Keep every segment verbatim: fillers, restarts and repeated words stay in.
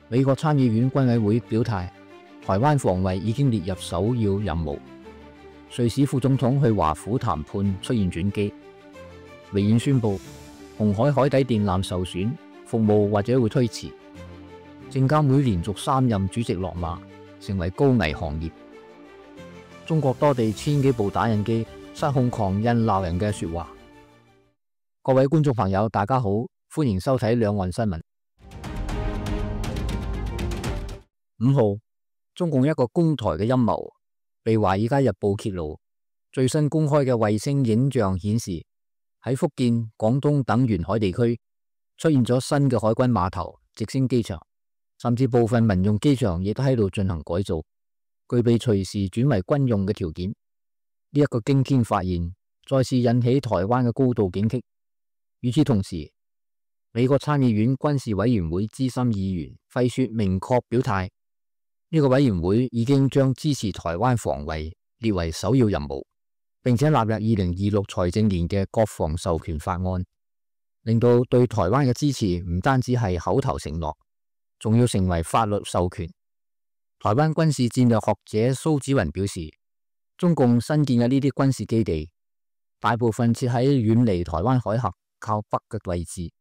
美國參議院軍委會表態，台灣防衛已經列入首要任務。瑞士副總統去華府談判出現轉機。微軟宣布紅海海底電纜受損，服務或者會推遲。證監會連續三任主席落馬，成為高危行業。中國多地千幾部打印機失控狂印鬧人嘅說話。各位觀眾朋友，大家好，歡迎收睇兩岸新聞。五號，中共一個攻台嘅陰謀被《華爾街日報》揭露，最新公開嘅衛星影像顯示，喺福建、廣東等沿海地區出現咗新嘅海軍碼頭、直升機場，甚至部分民用機場亦都喺度進行改造，具備隨時轉為軍用嘅條件。呢一個驚天發現，再次引起台灣嘅高度警惕。與此同時，美國參議院軍事委員會資深議員費雪明確表態，呢個委員會已經將支持台灣防衛列為首要任務，並且納入二零二六財政年嘅國防授權法案，令到對台灣嘅支持唔單止係口頭承諾，仲要成為法律授權。台灣軍事戰略學者蘇紫雲表示，中共新建嘅呢啲軍事基地，大部分設喺遠離台灣海峽靠北嘅位置，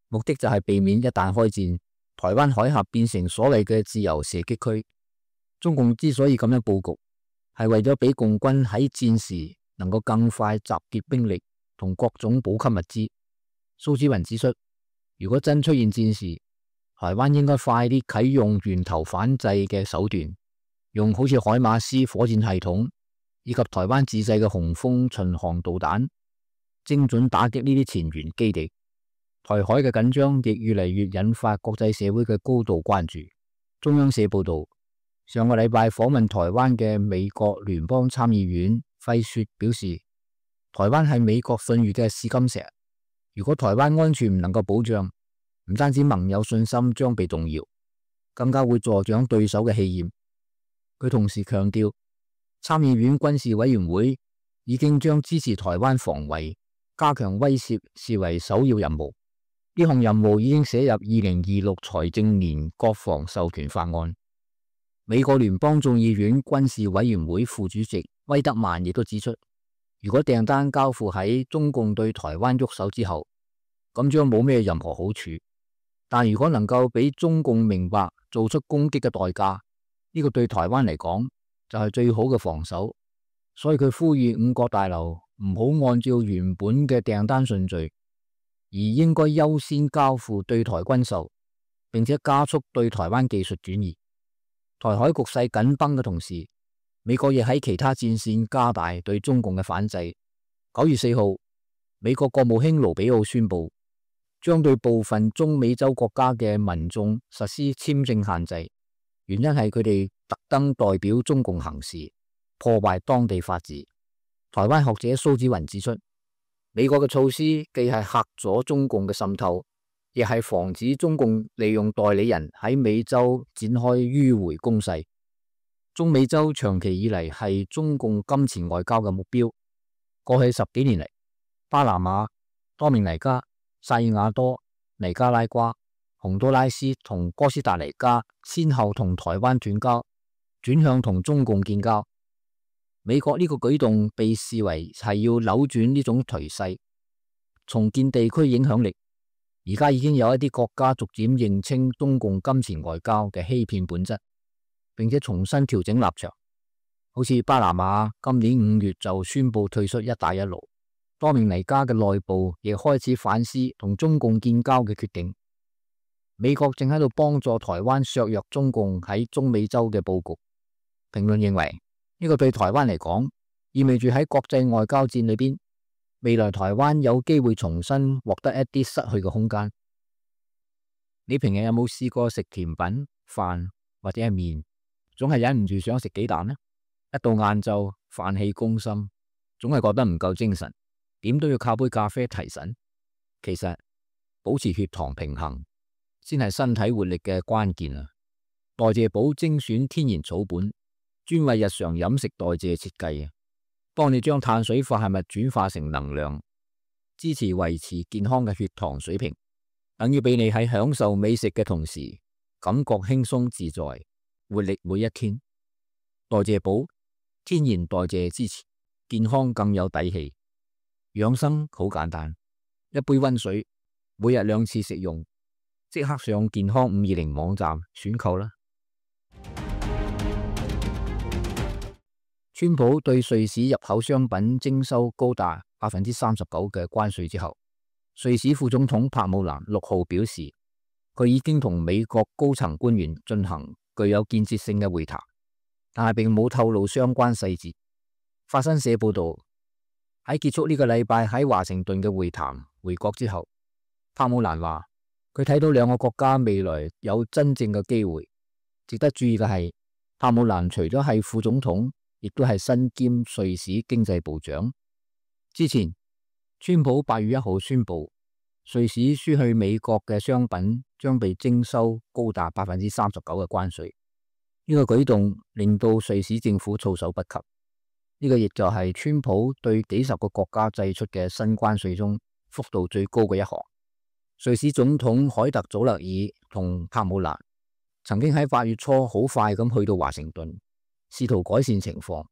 目的就係避免一旦開戰，台灣海峽變成所謂嘅自由射擊區。中共之所以咁樣布局，係為咗俾共軍喺戰時能夠更快集結兵力同各種補給物資。蘇紫雲指出，如果真出現戰事，台灣應該快啲啟用源頭反制嘅手段，用好似海馬斯火箭系統以及台灣自製嘅紅蜂巡航導彈，精準打擊呢啲前沿基地。台海嘅緊張亦越嚟越引發國際社會嘅高度關注。中央社報道，上個禮拜訪問台灣嘅美國聯邦參議院費雪表示，台灣係美國信譽嘅試金石，如果台灣安全唔能夠保障，唔單止盟友信心將被動搖，更加會助長對手嘅氣焰。佢同時強調，參議院軍事委員會已經將支持台灣防衛、加強威懾視為首要任務。呢項任務已經寫入二零二六財政年國防授權法案。美國聯邦眾議院軍事委員會副主席威德曼亦都指出，如果訂單交付喺中共對台灣喐手之後，咁將冇咩任何好處。但如果能夠俾中共明白做出攻擊嘅代價，呢個對台灣嚟講就係最好嘅防守。所以佢呼籲五角大樓唔好按照原本嘅訂單順序，而應該優先交付對台軍售，並且加速對台灣技術轉移。台海局勢緊繃嘅同時，美國亦喺其他戰線加大對中共嘅反制。九月四號，美國國務卿盧比奧宣布，將對部分中美洲國家嘅民眾實施簽證限制，原因係佢哋特登代表中共行事，破壞當地法治。台灣學者蘇紫雲指出，美國嘅措施既係嚇阻中共嘅滲透，亦係防止中共利用代理人喺美洲展開迂回攻勢。中美洲長期以嚟係中共金錢外交嘅目標。過去十幾年嚟，巴拿馬、多明尼加、薩爾瓦多、尼加拉瓜、洪都拉斯同哥斯達黎加先後同台灣斷交，轉向同中共建交。美國呢個舉動被視為係要扭轉呢種頹勢，重建地區影響力。而家已經有一啲國家逐漸認清中共金錢外交嘅欺騙本質，並且重新調整立場。好似巴拿馬今年五月就宣布退出一帶一路，多明尼加嘅內部亦開始反思同中共建交嘅決定。美國正喺度幫助台灣削弱中共喺中美洲嘅布局。評論認為，呢個對台灣嚟講，意味住喺國際外交戰裏邊，未來台灣有機會重新獲得一啲失去嘅空間。你平日有冇試過食甜品、飯或者係麵，總係忍唔住想食幾啖呢？一到晏晝，飯氣攻心，總係覺得唔夠精神，點都要靠杯咖啡提神。其實保持血糖平衡先係身體活力嘅關鍵啊！代謝寶精選天然草本，專為日常飲食代謝設計啊，幫你將碳水化合物轉化成能量，支持維持健康嘅血糖水平，等於俾你喺享受美食嘅同時，感覺輕鬆自在，活力每一天。代謝寶，天然代謝支持，健康更有底氣。養生好簡單，一杯溫水，每日兩次食用，即刻上健康五二零網站選購啦。川普對瑞士入口商品徵收高達百分之三十九嘅關稅之後，瑞士副總統帕姆蘭六號表示，佢已經同美國高層官員進行具有建設性嘅會談，但係並冇透露相關細節。法新社報道，喺結束呢個禮拜喺華盛頓嘅會談回國之後，帕姆蘭話佢睇到兩個國家未來有真正嘅機會。值得注意嘅係，帕姆蘭除咗係副總統，亦都係身兼瑞士經濟部長。之前，川普八月一號宣布，瑞士輸去美國嘅商品將被徵收高達百分之三十九嘅關稅。呢個舉動令到瑞士政府措手不及。呢個亦就係川普對幾十個國家祭出嘅新關稅中幅度最高嘅一項。瑞士總統凱特祖勒爾同帕姆蘭曾經喺八月初好快咁去到華盛頓，試圖改善情況。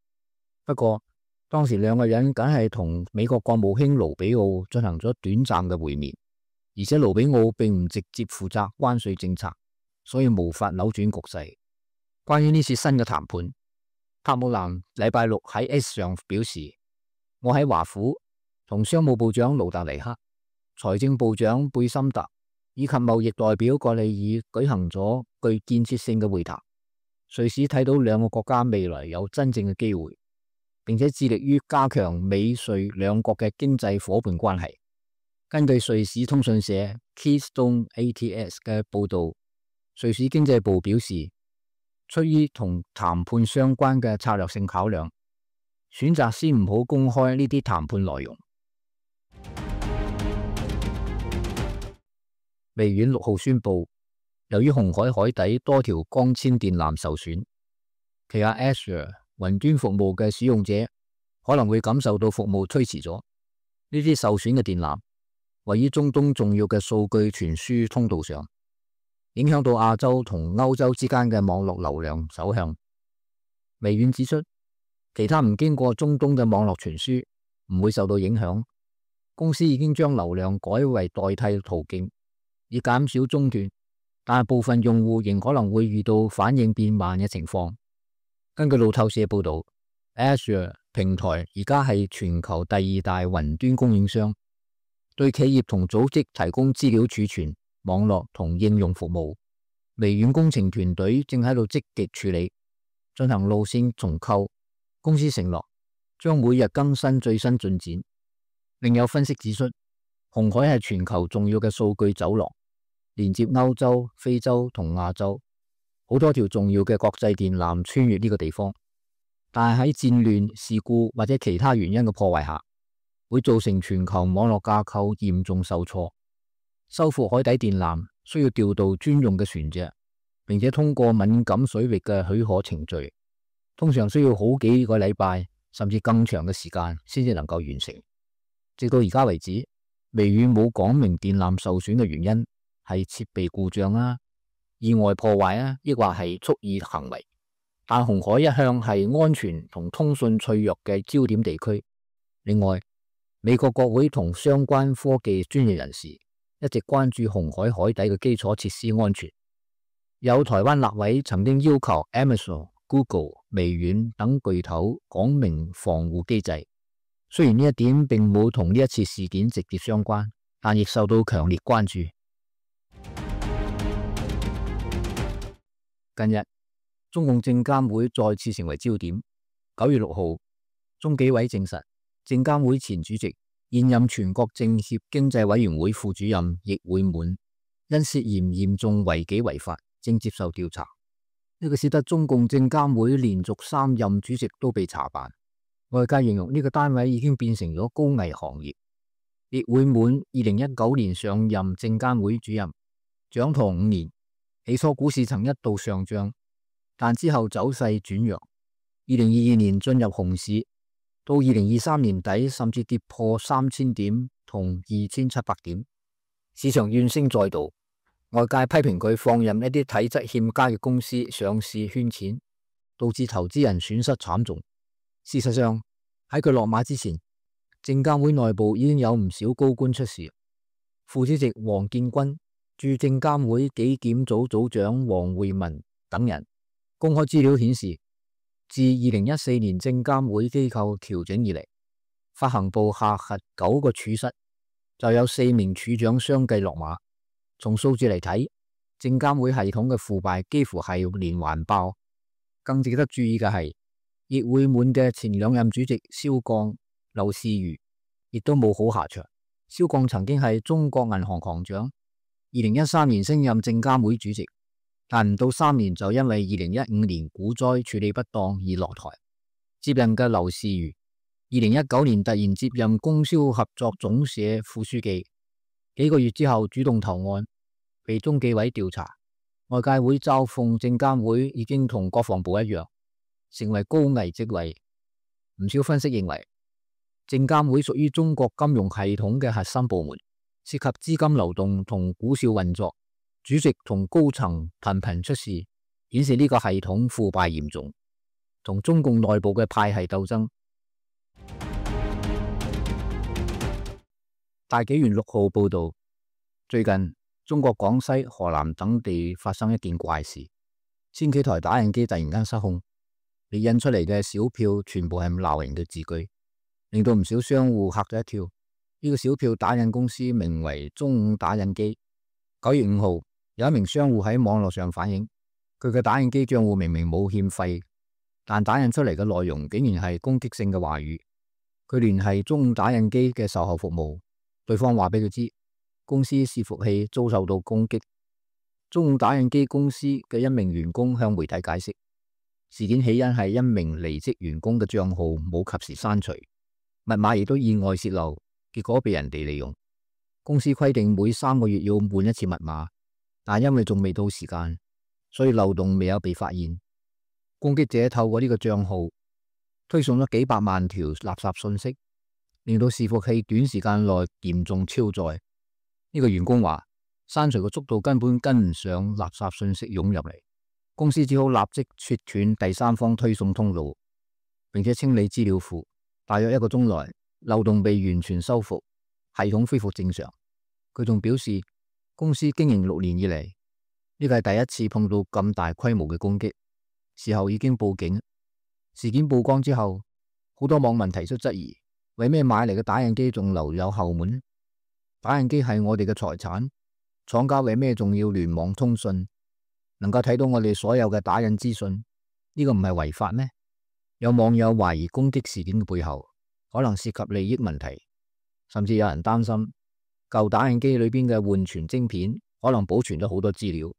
不過當時兩個人梗係同美國國務卿盧比奧進行咗短暫嘅會面，而且盧比奧並唔直接負責關稅政策，所以無法扭轉局勢。關於呢次新嘅談判，帕姆蘭禮拜六喺 X 上表示，我喺華府同商務部長盧達尼克、財政部長貝森特以及貿易代表葛利爾舉行咗具建設性嘅會談。瑞士睇到兩個國家未來有真正嘅機會，並且致力於加強美瑞兩國嘅經濟夥伴關係。根據瑞士通訊社 Keystone A T S 嘅報道，瑞士經濟部表示，出於同談判相關嘅策略性考量，選擇先唔好公開呢啲談判內容。微軟六號宣布，由於紅海海底多條光纖電纜受損，旗下 Azure 雲端服務嘅使用者可能會感受到服務推遲咗。呢啲受損嘅電纜位於中東重要嘅數據傳輸通道上，影響到亞洲同歐洲之間嘅網絡流量走向。微軟指出，其他唔經過中東嘅網絡傳輸唔會受到影響。公司已經將流量改為代替途徑，以減少中斷，但係部分用戶仍可能會遇到反應變慢嘅情況。根據路透社報道， Azure 平台而家係全球第二大雲端供應商，對企業同組織提供資料儲存、網絡同應用服務。微軟工程團隊正喺度積極處理，進行路線重構。公司承諾將每日更新最新進展。另有分析指出，紅海係全球重要嘅數據走廊，連接歐洲、非洲同亞洲，好多條重要嘅國際電纜穿越呢個地方。但係喺戰亂、事故或者其他原因嘅破壞下，會造成全球網絡架構嚴重受挫。修復海底電纜需要調度專用嘅船隻，並且通過敏感水域嘅許可程序，通常需要好幾個禮拜甚至更長嘅時間先至能夠完成。直到而家為止，微軟冇講明電纜受損嘅原因係設備故障啊、意外破壞啊，抑或係蓄意行為。但紅海一向係安全同通訊脆弱嘅焦點地區。另外，美國國會同相關科技專業人士一直關注紅海海底嘅基礎設施安全。有台灣立委曾經要求 Amazon、Google、微軟等巨頭講明防護機制。雖然呢一點並冇同呢一次事件直接相關，但亦受到強烈關注。近日，中共證監會再次成為焦點。九月六號，中紀委證實，證監會前主席、現任全國政協經濟委員會副主任易會滿因涉嫌嚴重違紀違法，正接受調查。呢個使得中共證監會連續三任主席都被查辦。外界形容呢個單位已經變成咗高危行業。易會滿二零一九年上任證監會主任，掌舵五年，起初股市曾一度上漲，但之後走勢轉弱。二零二二年進入熊市，到二零二三年底甚至跌破三千點同二千七百點，市場怨聲載道。外界批評佢放任一啲體質欠佳嘅公司上市圈錢，導致投資人損失慘重。事實上，喺佢落馬之前，證監會內部已經有唔少高官出事。副主席黃建軍、駐證監會紀檢組組長黃慧文等人公開資料顯示，自二零一四年證監會機構調整以嚟，發行部下轄九個處室就有四名處長相繼落馬。從數字嚟睇，證監會系統嘅腐敗幾乎係連環爆。更值得注意嘅係，熱會滿嘅前兩任主席蕭鋼、劉士余亦都冇好下場。蕭鋼曾經係中國銀行行長，二零一三年升任證監會主席，但唔到三年就因為二零一五年股災處理不當而落台。接任嘅劉士余，二零一九年突然接任供銷合作總社副書記，幾個月之後主動投案，被中紀委調查。外界會嘲諷證監會已經同國防部一樣，成為高危職位。唔少分析認為，證監會屬於中國金融系統嘅核心部門，涉及資金流動同股市運作，主席同高層頻頻出事，顯示呢個系統腐敗嚴重，同中共內部嘅派系鬥爭。大紀元六號報道，最近中國廣西、河南等地發生一件怪事，千幾台打印機突然間失控，你印出嚟嘅小票全部係鬧人嘅字句，令到唔少商戶嚇咗一跳。呢個小票打印公司名為中五打印機。九月五號，有一名商戶喺網絡上反映，佢嘅打印機賬戶明明冇欠費，但打印出嚟嘅內容竟然係攻擊性嘅話語。佢聯繫中五打印機嘅售後服務，對方話俾佢知，公司伺服器遭受到攻擊。中五打印機公司嘅一名員工向媒體解釋，事件起因係一名離職員工嘅賬號冇及時刪除，密碼亦都意外洩漏，結果被人哋利用。公司規定每三個月要換一次密碼，但因為仲未到時間，所以漏洞未有被發現。攻擊者透過呢個賬號推送咗幾百萬條垃圾信息，令到伺服器短時間內嚴重超載。呢個員工話，刪除嘅速度根本跟唔上垃圾信息湧入嚟，公司只好立即切斷第三方推送通路，並且清理資料庫。大約一個鐘內，漏洞被完全修復，系統恢復正常。佢仲表示，公司經營六年以嚟，呢個係第一次碰到咁大規模嘅攻擊，事後已經報警。事件曝光之後，好多網民提出質疑，為咩買嚟嘅打印機仲留有後門？打印機係我哋嘅財產，廠家為咩仲要聯網通訊，能夠睇到我哋所有嘅打印資訊？呢個唔係違法咩？有網友懷疑攻擊事件嘅背後可能涉及利益問題，甚至有人擔心舊打印機裏邊嘅緩存晶片可能保存咗好多資料，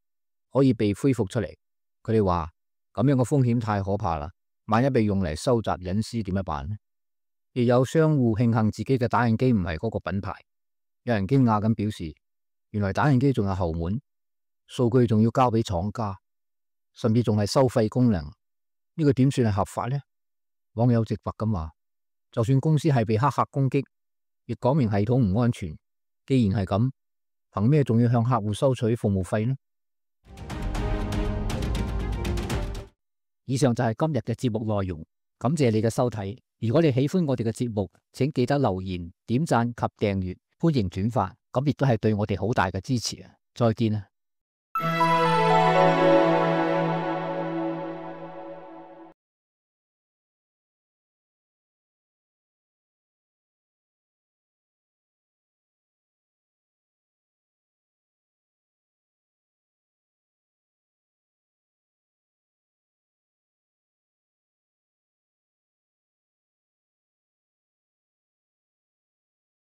可以被恢復出嚟。佢哋話咁樣嘅風險太可怕啦，萬一被用嚟收集隱私點樣辦呢？亦有商戶慶幸自己嘅打印機唔係嗰個品牌。有人驚訝咁表示，原來打印機仲有後門，數據仲要交俾廠家，甚至仲係收費功能，呢個點算係合法呢？網友直白咁話，就算公司係被黑客攻擊，亦講明系統唔安全。既然係咁，憑咩仲要向客戶收取服務費呢？以上就係今日嘅節目內容，感謝你嘅收睇。如果你喜歡我哋嘅節目，請記得留言、點讚及訂閱，歡迎轉發，咁亦都係對我哋好大嘅支持啊！再見啊！